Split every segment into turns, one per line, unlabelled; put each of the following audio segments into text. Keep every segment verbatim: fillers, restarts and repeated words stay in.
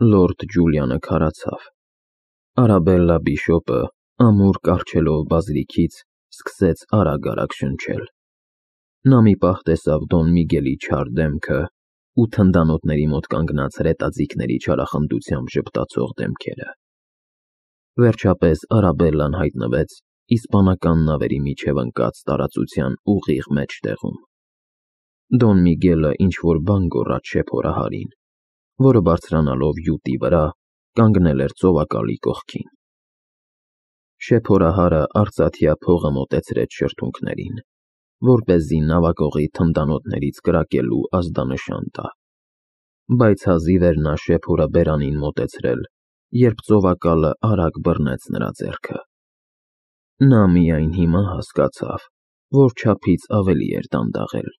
Լորդ Ջուլիանը քարացավ։ Արաբելլա բիշոպը, ամուր կառչելով բազիլիկից, սկսեց արագ-արագ շնչել։ Նա մի պահ տեսավ Դոն Միգելի չար դեմքը ու թնդանոթների մոտ կանգնած հրետաձիգների չարախնդությամբ ժպտացող դեմքերը։ Վերջապես Արաբելլան հայտնվեց իսպանական նավերի միջև ընկած տարածության ուղիղ մեջտեղում։ Դոն Միգելը ինչ-որ բան գոռաց շեփորահարին, որը բարձրանալով յուտի վրա կանգնել էր ծովակալի կողքին։ Շեփորահարը արծաթյա փողը մոտեցրեց շրթունքներին, որպեսզի նավակողի թնդանոթներից կրակելու ազդանշան տա։ Բայց հազիվ էր նա շեփորը բերանին մոտեցրել, երբ ծովակալը արագ բռնեց նրա ձեռքը։ Նա միայն հիմա հասկացավ, որ չափից ավելի էր դանդաղել,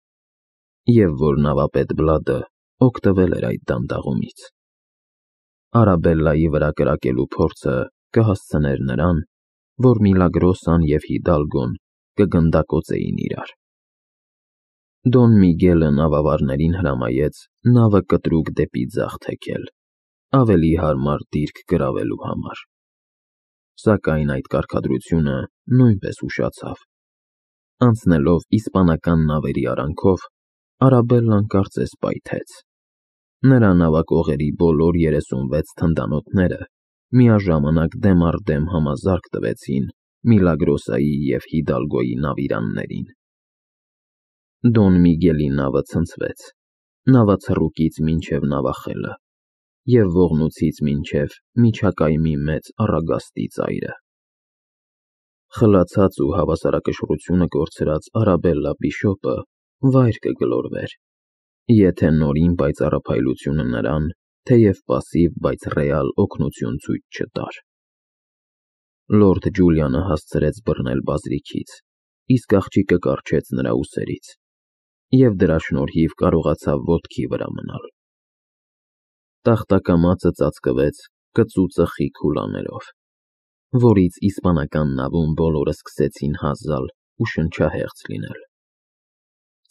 և որ նավապետ Բլադը օգտվել էր այդ դանդաղումից։ Արաբելլայի վրա կրակելու փորձը կհասցներ նրան, որ Միլագրոսան և Հիդալգոն կգնդակոծեին իրար։ Դոն Միգելը նավավարներին հրամայեց նավը կտրուկ դեպի ձախ թեքել, ավելի հարմար դիրք գրավելու համար։ Սակայն այդ կարգադրությունը նույնպես ուշացավ։ Անցնելով իսպանական նավերի արանքով, Արաբելլան կարծես պայթեց։ Նրա նավակողերի բոլոր երեսունվեց թնդանոթները միաժամանակ դեմ առ դեմ համազարկ տվեցին Միլագրոսայի և Հիդալգոյի նավիրաններին։ Դոն Միգելի նավը ցնցվեց, նավացռուկից մինչև նավախելը և ողնուցից մինչև միջակայմի մեծ առագաստի ծայրը։ Խլացած ու հավասարակշռությունը կորցրած Արաբելլա բիշոպը վայր կգլորվեր, եթե նորին պայծառափայլությունը նրան, թեև պասիվ, բայց ռեալ օգնություն ցույց չտար։ Լորդ Ջուլիանը հասցրեց բռնել բազրիքից, իսկ աղջիկը կառչեց նրա ուսերից, և դրա շնորհիվ կարողացավ ոտքի վրա մնալ։ Տախտակամածը ծածկվեց կծու ծխի քուլաներով, որից իսպանական նավում բոլորը սկսեցին հազալ ու շնչահեղձ լինել։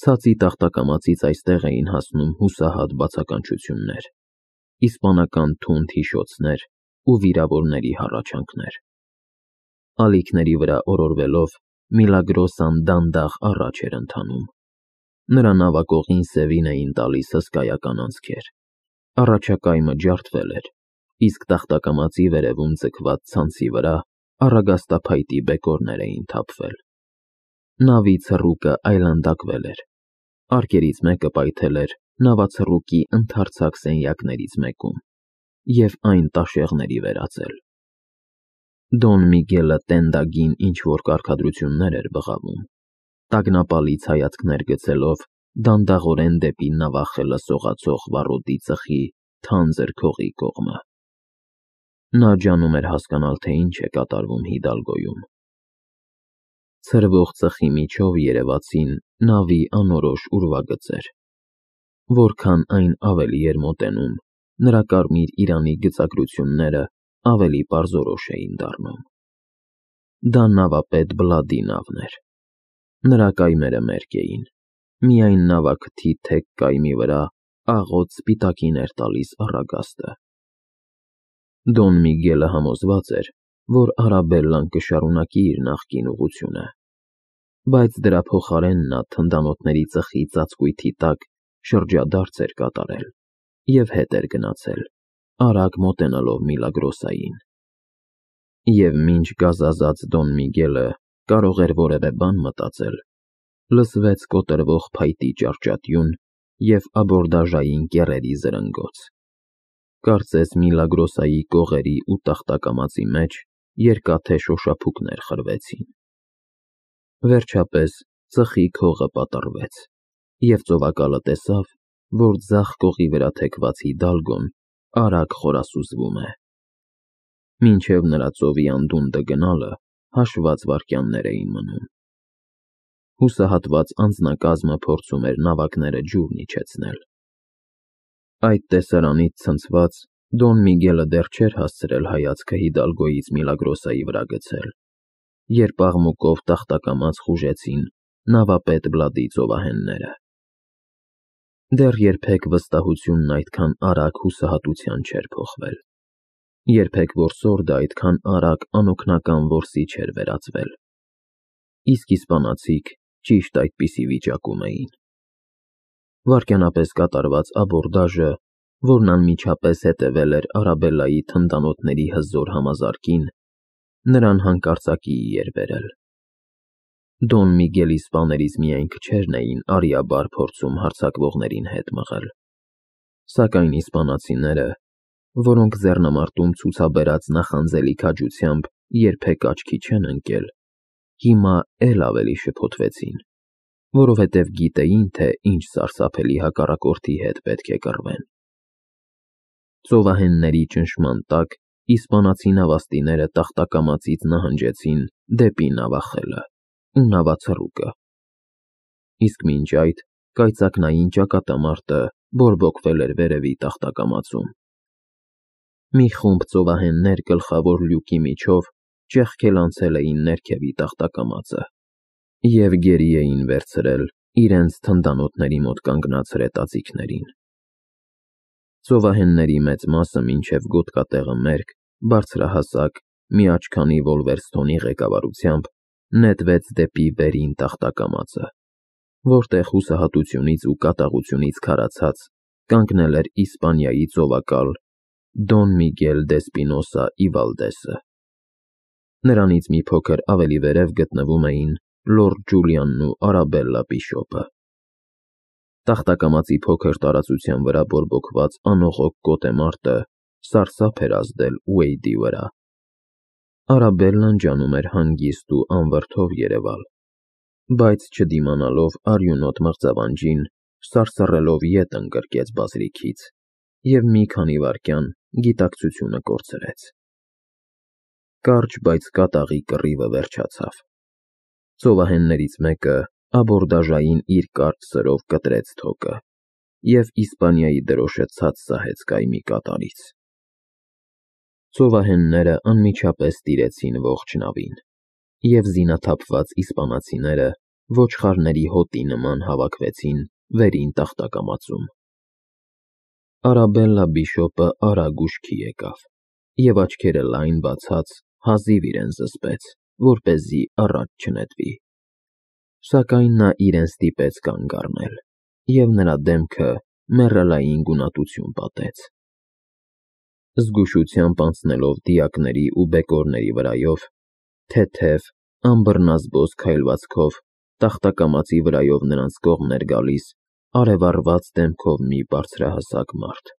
Ցածի տախտակամածից այստեղ էին հասնում հուսահատ բացականչություններ, իսպանական թունդ հիշոցներ ու վիրավորների հառաչանքներ։ Ալիքների վրա օրորվելով Միլագրոսան դանդաղ առաջ էր ընթանում։ Նրա նավակողին սևին էին տալիս հսկայական անցքեր, առաջակայմը ջարդվել էր, իսկ տախտակամածի վերևում ձգված ցանցի վրա առագաստափայտի բեկորներ էին թափվել։ Նավի ցռուկը այլանդակվել էր, արկերից մեկը պայթել էր նավացռուկի ընդարձակ սենյակներից մեկում և այն տաշեղների վերածել։ Դոն Միգելը տենդագին ինչ-որ կարգադրություններ էր բղավում, տագնապալից հայացքներ գցելով դանդաղորեն դեպի նավախելը սողացող վառոդի ծխի թանձր քողի կողմը։ Նա ջանում էր հասկանալ, թե ինչ է կատարվում Հիդալգոյում։ Ցրվող ծխի միջով երևացին նավի անորոշ ուրվագծեր։ Որքան այն ավելի էր մոտենում, նրա կարմիր իրանի գծագրությունները ավելի պարզորոշ էին դառնում։ Դա նավապետ Բլադի նավն էր։ Նրա կայմերը մերկ էին, միայն նավակթի թեք կայմի վրա աղոտ սպիտակին էր տալիս առագաստը։ Դոն Միգելը համոզված էր, որ Արաբելլան կշարունակի իր նախկին ուղղությունը, բայց դրա փոխարեն նա թնդանոթների ծխի ծածկույթի տակ շրջադարձ էր կատարել և հետ էր գնացել, արագ մոտենալով Միլագրոսային։ Եվ մինչ գազազած Դոն Միգելը կարող էր որևէ բան մտածել, լսվեց կոտրվող փայտի ճարճատյուն և աբորդաժային կեռերի զրնգոց։ Կարծես Միլագրոսայի կողերի ու տախտակամածի մեջ երկաթե շոշափուկներ խրվեցին։ Վերջապես ծխի քողը պատռվեց, և ծովակալը տեսավ, որ ձախ կողի վրա թեքված Հիդալգոն արագ խորասուզվում է։ Մինչև նրա ծովի անդունդը գնալը հաշված վայրկյաններ էին մնում։ Հուսահատված անձնակազմը փորձում էր նավակները ջուրն իջեցնել։ Այդ տեսարանից ցնցված Դոն Միգելը դեռ չէր հասցրել հայացքը Հիդալգոյից Միլագրոսայի վրա գցել, երբ աղմուկով տախտակամած խուժեցին նավապետ Բլադի ծովահենները։ Դեռ երբեք վստահությունն այդքան արագ հուսահատության չէր փոխվել, երբեք որսորդը այդքան արագ անօգնական որսի չէր վերածվել, իսկ իսպանացիք ճիշտ այդպիսի վիճակում էին։ Վայրկյանապես կատարված աբորդաժը, որն անմիջապես հետևել էր Արաբելլայի թնդանոթների հզոր համազարկին, նրան հանկարծակիի էր բերել։ Դոն Միգելի սպաներից միայն քչերն էին արիաբար փորձում հարձակվողներին հետ մղել, սակայն իսպանացիները, որոնք ձեռնամարտում ցուցաբերած նախանձելի քաջությամբ երբեք աչքի չեն ընկել, հիմա էլ ավելի շփոթվեցին, որովհետև գիտեին, թե ինչ սարսափելի հակառակորդի հետ պետք է կռվեն։ Ծովահենների ճնշման տակ իսպանացի նավաստիները տախտակամածից նահանջեցին դեպի նավախելը ու նավացռուկը, իսկ մինչ այդ կայծակնային ճակատամարտը բորբոքվել էր վերևի տախտակամածում։ Մի խումբ ծովահեններ գլխավոր լյուկի միջով ճեղքել անցել էին ներքևի տախտակամածը և գերի էին վերցրել իրենց թնդանոթների մոտ կանգնած հրետաձիգներին։ Ծովահենների մեծ մասը մինչև գոտկատեղը մերկ, բարձրահասակ, մի աչքանի Վոլվերստոնի ղեկավարությամբ նետվեց դեպի վերին տախտակամածը, որտեղ հուսահատությունից ու կատաղությունից քարացած կանգնել էր Իսպանիայի ծովակալ Դոն Միգել դեսպինոսա ի Վալդեսը։ Նրանից մի փոքր ավելի վերև գտնվում էին լորդ Ջուլիանն ու Արաբելլա բիշոպը։ Տախտակամածի փոքր տարածության վրա բորբոքված անողոք գոտեմարտը սարսափ էր ազդել Ուեյդի վրա։ Արաբելլան ջանում էր հանգիստ ու անվրդով երևալ, բայց չդիմանալով արյունոտ մղձավանջին, սարսռելով ետ ընկրկեց բազրիքից և մի քանի վայրկյան գիտակցությունը կորցրեց։ Կարճ, բայց կատաղի կռիվը վերջացավ։ Ծովահեններից մեկը աբորդաժային իր կարճ սրով կտրեց թոկը և Իսպանիայի դրոշը ցած սահեց կայմի կատարից։ Ծովահենները անմիջապես տիրեցին ողջ նավին, և զինաթափված իսպանացիները ոչխարների հոտի նման հավաքվեցին վերին տախտակամածում։ Արաբելլա բիշոպը արագ ուշքի եկավ և աչքերը լայն բացած հազիվ իրեն զսպեց, որպեսզի առաջ չնետվի, սակայն նա իրեն ստիպեց կանգ առնել, և նրա դեմքը մեռելային գունատություն պատեց։ Զգուշությամբ անցնելով դիակների ու բեկորների վրայով, թեթև, անբռնազբոս քայլվածքով տախտակամածի վրայով նրանց կողմն էր գալիս արևառված դեմքով մի բարձրահասակ մարդ։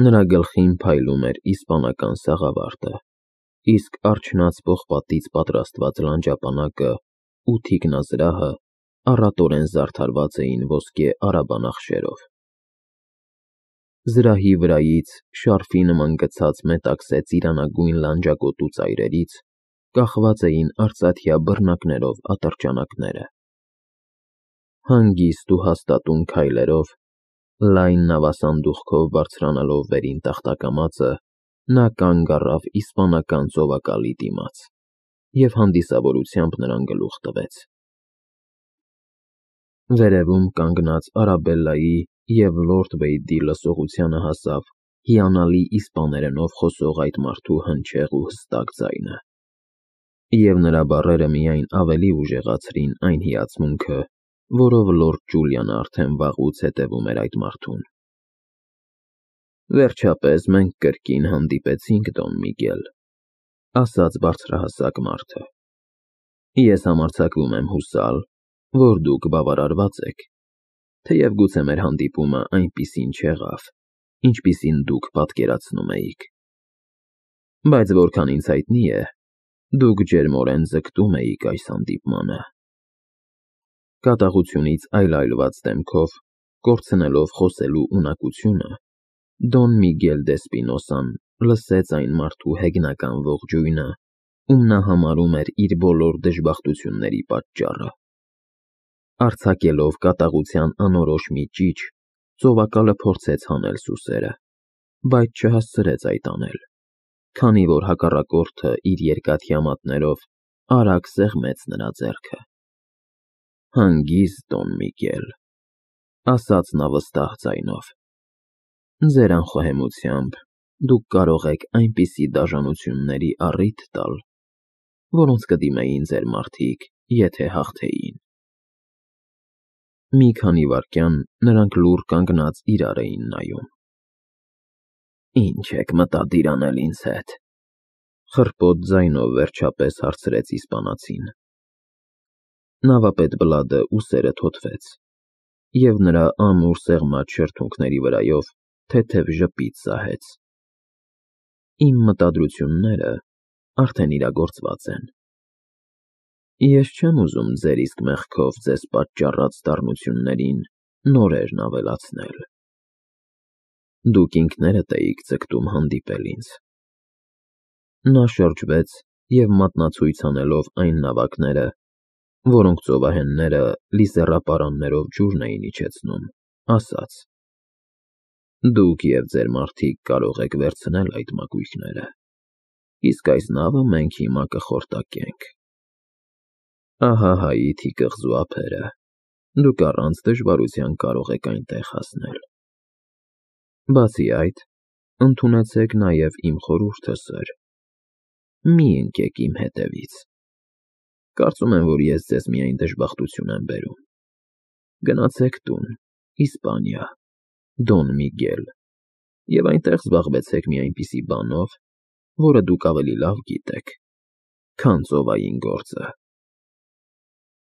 Նրա գլխին փայլում էր իսպանական սաղավարտը, իսկ առջնած պողպատից պատրաստված լանջապանակը ու թիկնազրահը առատորեն զարդարված էին ոսկե արաբանախշերով։ Զրահի վրայից շարֆի նման գցած մետաքսե ծիրանագույն լանջակոտու ծայրերից կախված էին արծաթյա բռնակներով ատրճանակները։ Հանգիստ ու հաստատուն քայլերով, լայն նավասանդուղքով բարձրանալով վերին տախտակամածը, նա կանգ առավ իսպանական ծովակալի դիմաց և հանդիսավորությամբ նրան գլուխ տվեց։ Վերևում կանգնած Արաբելլայի և լորդ Վեյդի լսողությանը հասավ հիանալի իսպաներենով խոսող այդ մարդու հնչեղ ու հստակ ձայնը, և նրա բառերը միայն ավելի ուժեղացրին այն հիացմունքը, որով լորդ Ջուլիանը արդեն վաղուց հետևում էր այդ մարդուն։ Վերջապես մենք կրկին հանդիպեցինք, Դոն Միգել, ասաց բարձրահասակ մարդը։ Ես համարձակվում եմ հուսալ, որ դուք բավարարված եք, թեև գուցե մեր հանդիպումը այնպիսին չեղավ, ինչպիսին դուք պատկերացնում էիք, բայց որքան ինձ հայտնի է, դուք ջերմորեն ձգտում էիք այս հանդիպմանը։ Կատաղությունից այլայլված դեմքով, կորցնելով խոսելու ունակությունը, Դոն Միգել դեսպինոսան լսեց այն մարդու հեգնական ողջույնը, ում նա համարում էր իր բոլոր դժբախտությունների պատճառը։ Արձակելով կատաղության անորոշ մի ճիչ, ծովակալը փորձեց հանել սուսերը, բայց չհասցրեց այդ անել, քանի որ հակառակորդը իր երկաթյա մատներով արագ սեղմեց նրա ձեռքը։ Հանգիստ, Դոն Միգել, ասաց նա վստահ ձայնով։ Ձեր անխոհեմությամբ դուք կարող եք այնպիսի դաժանությունների առիթ տալ, որոնց կդիմեին ձեր մարդիկ, եթե հաղթեին։ Մի քանի վայրկյան նրանք լուռ կանգնած իրար էին նայում։ Ինչ եք մտադիր անել ինձ հետ, խռպոտ ձայնով վերջապես հարցրեց իսպանացին։ Նավապետ Բլադը ուսերը թոթվեց, և նրա ամուր սեղմած շրթունքների վրայով թեթև ժպիտ սահեց։ Իմ մտադրությունները արդեն իրագործված են։ Ես չեմ ուզում ձեր իսկ մեղքով ձեզ պատճառած դառնություններին նորերն ավելացնել։ Դուք ինքներդ էիք ձգտում հանդիպել ինձ։ Նա շրջվեց և մատնացույց անելով այն նավակները, որոնք ծովահենները լիզեռապարաններով ջուրն էին իջեցնում, ասաց. Դուք և ձեր մարդիկ կարող եք վերցնել այդ մակույկները, իսկ այս նավը մենք հիմա կխորտակենք։ Ահա Հաիթի կղզու ափերը, դուք առանց դժվարության կարող եք այնտեղ հասնել։ Բացի այդ, ընդունեցեք նաև իմ խորհուրդը, սըր, մի ընկեք իմ հետևից։ Կարծում եմ, որ ես ձեզ միայն դժբախտություն եմ բերում։ Գնացեք տուն, Իսպանիա, Դոն Միգել, և այնտեղ զբաղվեցեք մի այնպիսի բանով, որը դուք ավելի լավ գիտեք, քան ծովային գործը։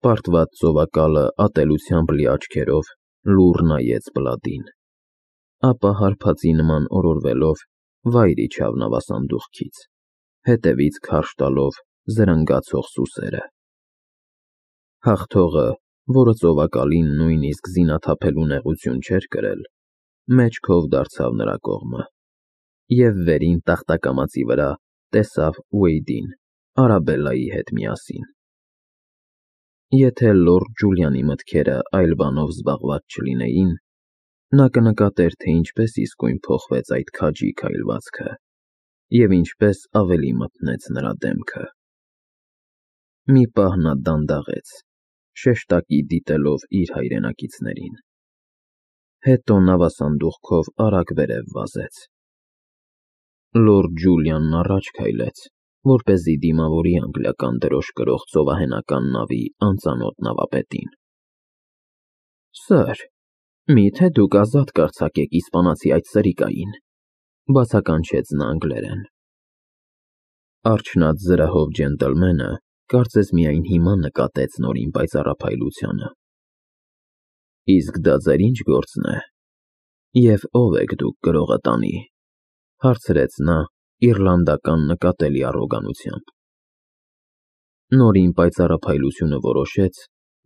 Պարտված ծովակալը ատելությամբ լի աչքերով լուռ նայեց Բլադին, ապա հարբածի նման օրորվելով վայր իջավ նավասանդուղքից, հետևից քարշ տալով զրնգացող սուսերը։ Հաղթողը, որը ծովակալին նույնիսկ զինաթափելու նեղություն չէր կրել, մեջքով դարձավ նրա կողմը և վերին տախտակամածի վրա տեսավ Ուեյդին Արաբելլայի հետ միասին։ Եթե լորդ Ջուլիանի մտքերը այլ բանով զբաղված չլինեին, նա կնկատեր, թե ինչպես իսկույն փոխվեց այդ քաջի քայլվածքը և ինչպես ավելի մթնեց նրա դեմքը։ Մի պահ նա դանդաղեց, շեշտակի դիտելով իր հայրենակիցներին։ Հետո նավասանդուղքով արագ վերև վազեց։ Լորդ Ջուլիանն առաջ քայլեց, որպեսզի դիմավորի անգլիական դրոշ կրող ծովահենական նավի անծանոթ նավապետին։ Սըր, մի՞թե դուք ազատ կարձակեք իսպանացի այդ սրիկային, բացականչեց նա անգլերեն։ Արջնած զրահով ջենտլմենը կարծես միայն հիմա նկատեց նորին պայծառափայլությանը։ Իսկ դա ձեր ինչ գործն է, և ով եք դուք գրողը տանի, հարցրեց նա իռլանդական նկատելի առոգանությամբ։ Նորին պայծառափայլությունը որոշեց,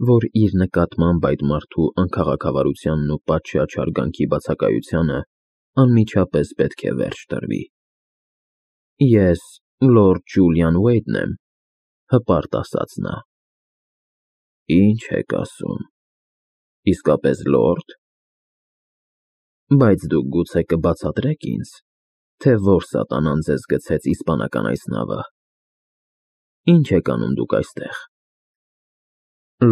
որ իր նկատմամբ այդ մարդու անքաղաքավարությանն ու պատշաճ հարգանքի բացակայությանը անմիջապես պետք է վերջ տրվի։ Ես լորդ Ջուլիան Ուեյդն եմ, հպարտ ասաց նա։ Ինչ եք ասում, իսկապես լորդ։ Բայց դուք գուցե կբացատրեք ինձ, թե որ սատանան ձեզ գցեց իսպանական այս նավը։ Ինչ եք անում դուք այստեղ։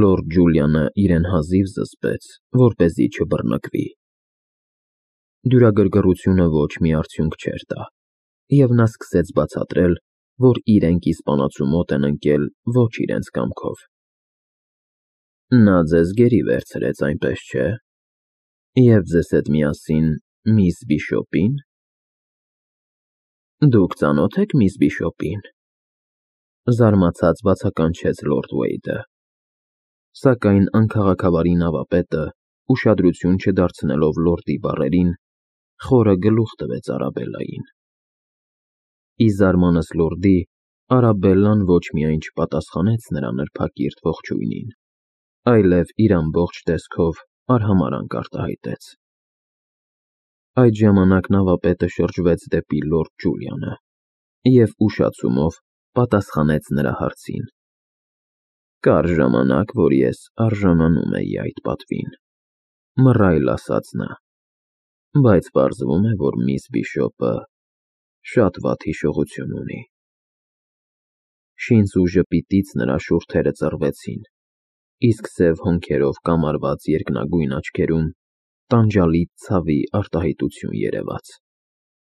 Լորդ Ջուլիանը իրեն հազիվ զսպեց, որպեսզի չբռնկվի։ Դյուրագրգռությունը ոչ մի արդյունք չէր տա, և նա սկսեց բացատրել, որ իրենք իսպանացու մոտ են ընկել ոչ իրենց կամքով։ Նա ձեզ գերի վերցրեց, այնպես չէ՞, և ձեզ հետ միասին միս Բիշոպի՞ն։ Դուք ծանո՞թ եք միս Բիշոպին, զարմացած բացականչեց լորդ Ուեյդը, սակայն անքաղաքավարի նավապետը, ուշադրություն չդարձնելով լորդի բառերին, խորը գլուխ տվեց Արաբելլային։ Ի զարմանս լորդի, Արաբելլան ոչ միայն չպատասխանեց նրա նրբակիրթ ողջույնին, այլև իր ամբողջ տեսքով արհամարհանք արտահայտեց։ Այդ ժամանակ նավապետը շրջվեց դեպի լորդ Ջուլիանը և ուշացումով պատասխանեց նրա հարցին։ Կար ժամանակ, որ ես արժանանում էի այդ պատվին, մռայլ ասաց նա, բայց պարզվում է, որ միս Բիշոպը շատ վատ հիշողություն ունի։ Շինց ու ժպիտից նրա շուրթերը ծռվեցին, իսկ սև հոնքերով կամարված երկնագույն աչքերում տանջալից ցավի արտահայտություն երևաց,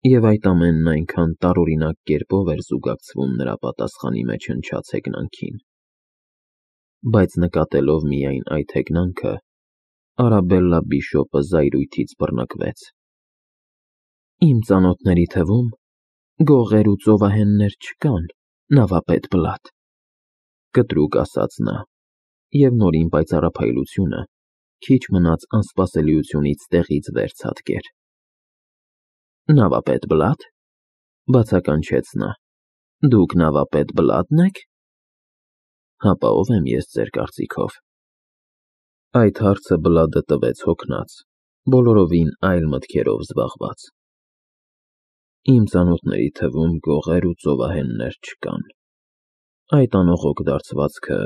և այդ ամենն այնքան տարօրինակ կերպով էր զուգակցվում նրա պատասխանի մեջ հնչած հեգնանքին, բայց նկատելով միայն այդ հեգնանքը, Արաբելլա բիշոպը զայրույթից բռնկվեց։ «Իմ ծանոթների թվում գողեր ու ծովահեններ չկան, նավապետ Բլադ», կտրուկ ասաց նա, և նորին պայծառափայլությունը քիչ մնաց անսպասելիությունից տեղից վեր ցատկեր։ «Նավապետ Բլա՞դ», բացականչեց նա, «դուք նավապետ Բլադն եք»։ Հապա ով եմ ես ձեր կարծիքով։ Այդ հարցը Բլադը տվեց հոգնած, բոլորովին այլ մտքերով զբաղված։ Իմ ծանոթների թվում գողեր ու ծովահեններ չկան։ Այդ անողոք դարձվածքը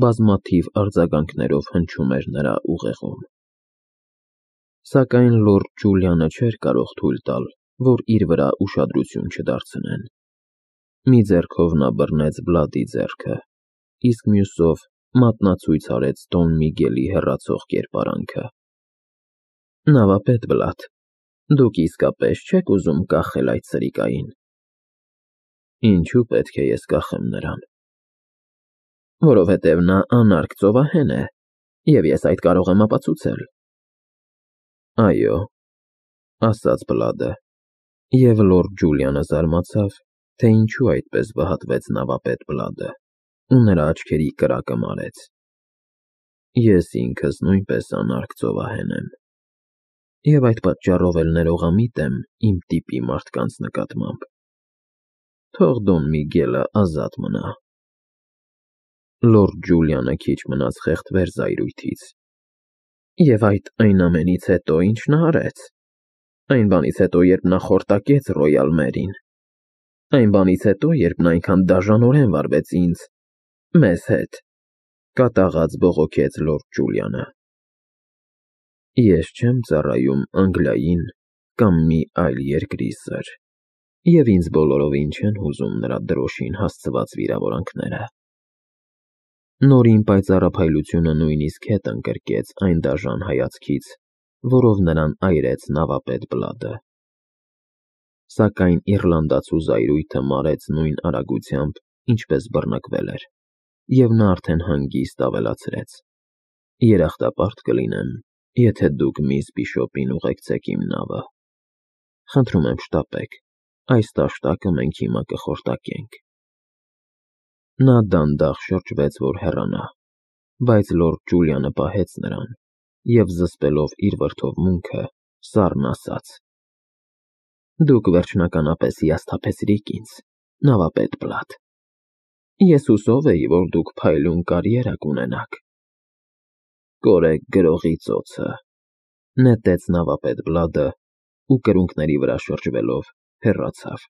բազմաթիվ արձագանքներով հնչում էր նրա ուղեղում։ Սակայն լորդ Ջուլիանը չէր կարող թույլ տալ, որ իր վրա ուշադրություն չդարձնեն։ Մի ձեռքով նա բռնեց Բլադի ձեռքը, իսկ մյուսով մատնացույց արեց Դոն Միգելի հեռացող կերպարանքը։ «Նավապետ Բլադ, դուք իսկապես չեք ուզում կախել այդ սրիկային»։ «Ինչու պետք է ես կախեմ նրան»։ «Որովհետև նա անարգ ծովահեն է, և ես այդ կարող եմ ապացուցել»։ «Այո», ասաց Բլադը, և լորդ Ջուլիանը զարմացավ, թե ինչու այդպես վհատվեց նավապետ Բլադը, ու նրա աչքերի կրակը մարեց։ «Ես ինքս նույնպես անարգ ծովահեն եմ, և այդ պատճառով էլ ներողամիտ եմ իմ տիպի մարդկանց նկատմամբ։ Թող Դոն Միգելը ազատ մնա»։ Լորդ Ջուլիանը քիչ մնաց խեղդվեր զայրույթից։ «Եվ այդ այն ամենից հետո ի՞նչ նա արեց։ Այն բանից հետո, երբ նա խորտակեց Ռոյալ Մարին։ Այն բանից հետո, երբ նա այնքան դաժանորեն վարվեց ինձ… մեզ հետ», կատաղած բողոքեց լորդ Ջուլիանը։ «Ես չեմ ծառայում Անգլիային կամ մի այլ երկրի, սըր, և ինձ բոլորովին չեն հուզում նրա դրոշին հասցված վիրավորանքները»։ Նորին պայծառափայլությունը նույնիսկ հետ ընկրկեց այն դաժան հայացքից, որով նրան այրեց նավապետ Բլադը։ Սակայն իռլանդացու զայրույթը մարեց նույն արագությամբ, ինչպես բռնկվել էր, և նա արդեն հանգիստ ավելացրեց. «Երախտապարտ կլինեմ, եթե դուք միս Բիշոպին ուղեկցեք իմ նավը։ Խնդրում եմ շտապեք, այս տաշտակը մենք հիմա կխորտակենք»։ Նա դանդաղ շրջվեց, որ հեռանա, բայց լորդ Ջուլիանը պահեց նրան, և զսպելով իր վրդովմունքը, սառն ասաց. «Դուք վերջնականապես հիասթափեցրիք ինձ, նավապետ Բլադ։ Ես հուսով էի, որ դուք փայլուն կարիերա կունենաք»։ «Կորեք գրողի ծոցը», նետեց նավապետ Բլադը ու կրունկների վրա շրջվելով հեռացավ։